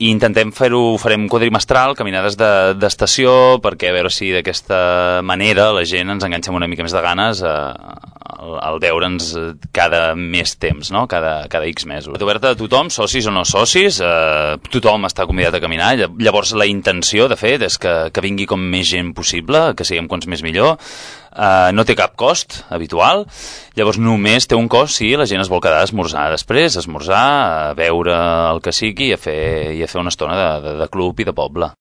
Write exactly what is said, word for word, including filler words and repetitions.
i intentem fer-ho, farem quadrimestral, caminades d'estació, perquè a veure si d'aquesta manera la gent ens enganxem una mica més de ganes a, al, al veure'ns cada més temps, no? cada, cada X mesos. Oberta a tothom, socis o no socis, eh, tothom està convidat a caminar, llavors la intenció, de fet, és que, que vingui com més gent possible, que siguem quants més millor. Uh, no té cap cost habitual, llavors només té un cost si la gent es vol quedar a esmorzar després, a esmorzar, a veure el que sigui i a fer, i a fer una estona de, de, de club i de poble.